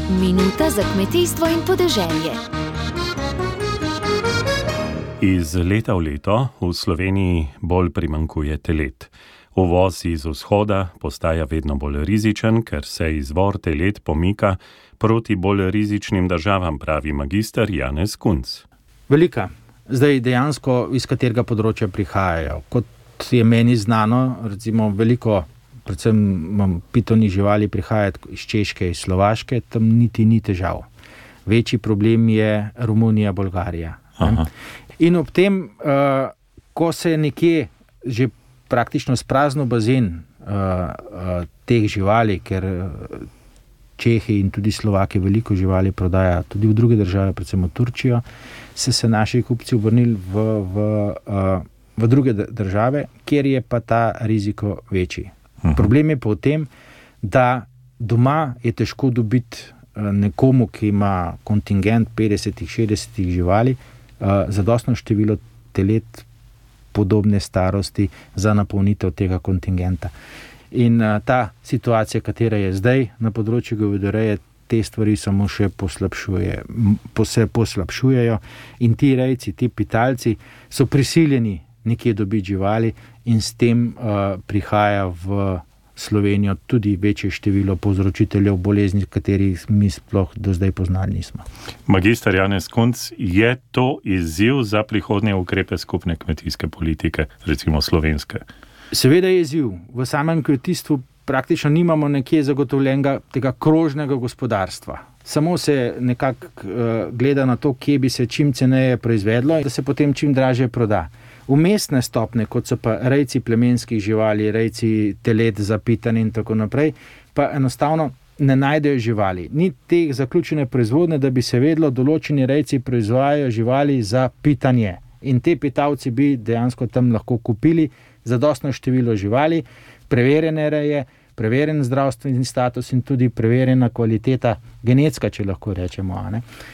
Minuta za kmetijstvo in podeželje. Iz leta v leto v Sloveniji bolj primanjkuje telet. Uvoz iz vzhoda postaja vedno bolj rizičen, ker se izvor telet pomika proti bolj rizičnim državam, pravi magister Janez Kunc. Velika. Zdaj dejansko iz katerega področja prihajajo. Kot je meni znano, recimo veliko, predvsem pitonih živali prihaja iz Češke, iz Slovaške, tam niti ni težav. Večji problem je Romunija, Bolgarija. In ob tem, ko se je nekje že praktično spraznil bazen teh živali, ker Čehi in tudi Slovaki veliko živali prodaja tudi v druge države, predvsem v Turčijo, se naši kupci obrnili v druge države, kjer je pa ta riziko večji. Problem je pa v tem, da doma je težko dobiti nekomu, ki ima kontingent 50-60 živali, zadostno število telet podobne starosti za napolnitev tega kontingenta. In ta situacija, katera je zdaj na področju govedoreje, te stvari samo še poslabšujejo in ti rejci, ti pitalci so prisiljeni nekje dobiti živali in s tem prihaja v Slovenijo tudi večje število povzročiteljev bolezni, katerih mi sploh do zdaj poznali nismo. Magister Janez Kunc, je to izziv za prihodnje ukrepe skupne kmetijske politike, recimo slovenske? Seveda je izziv. V samem kmetijstvu praktično nimamo nekje zagotovljenega tega krožnega gospodarstva. Samo se nekako gleda na to, kje bi se čim ceneje proizvedlo in da se potem čim dražje proda. Vmesne stopne, kot so pa rejci plemenskih živali, rejci telet za pitanje in tako naprej, pa enostavno ne najdejo živali. Ni teh zaključene proizvodne, da bi se vedlo, določeni rejci proizvajajo živali za pitanje. In te pitalci bi dejansko tam lahko kupili zadostno število živali, preverjene reje, preverjen zdravstveni status in tudi preverjena kvaliteta genetska, če lahko rečemo.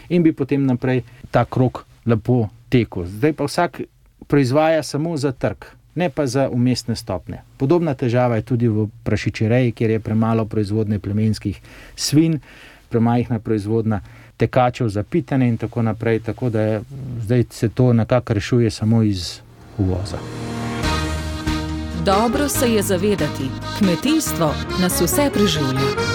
In bi potem naprej ta krog lepo tekel. Zdaj pa vsak proizvaja samo za trg, ne pa za umestne stopne. Podobna težava je tudi v prašičereji, kjer je premalo proizvodne plemenskih svin, premajhna proizvodna tekačev za pitanje in tako naprej, tako da zdaj se to nekako rešuje samo iz uvoza. Dobro se je zavedati, kmetijstvo nas vse preživlja.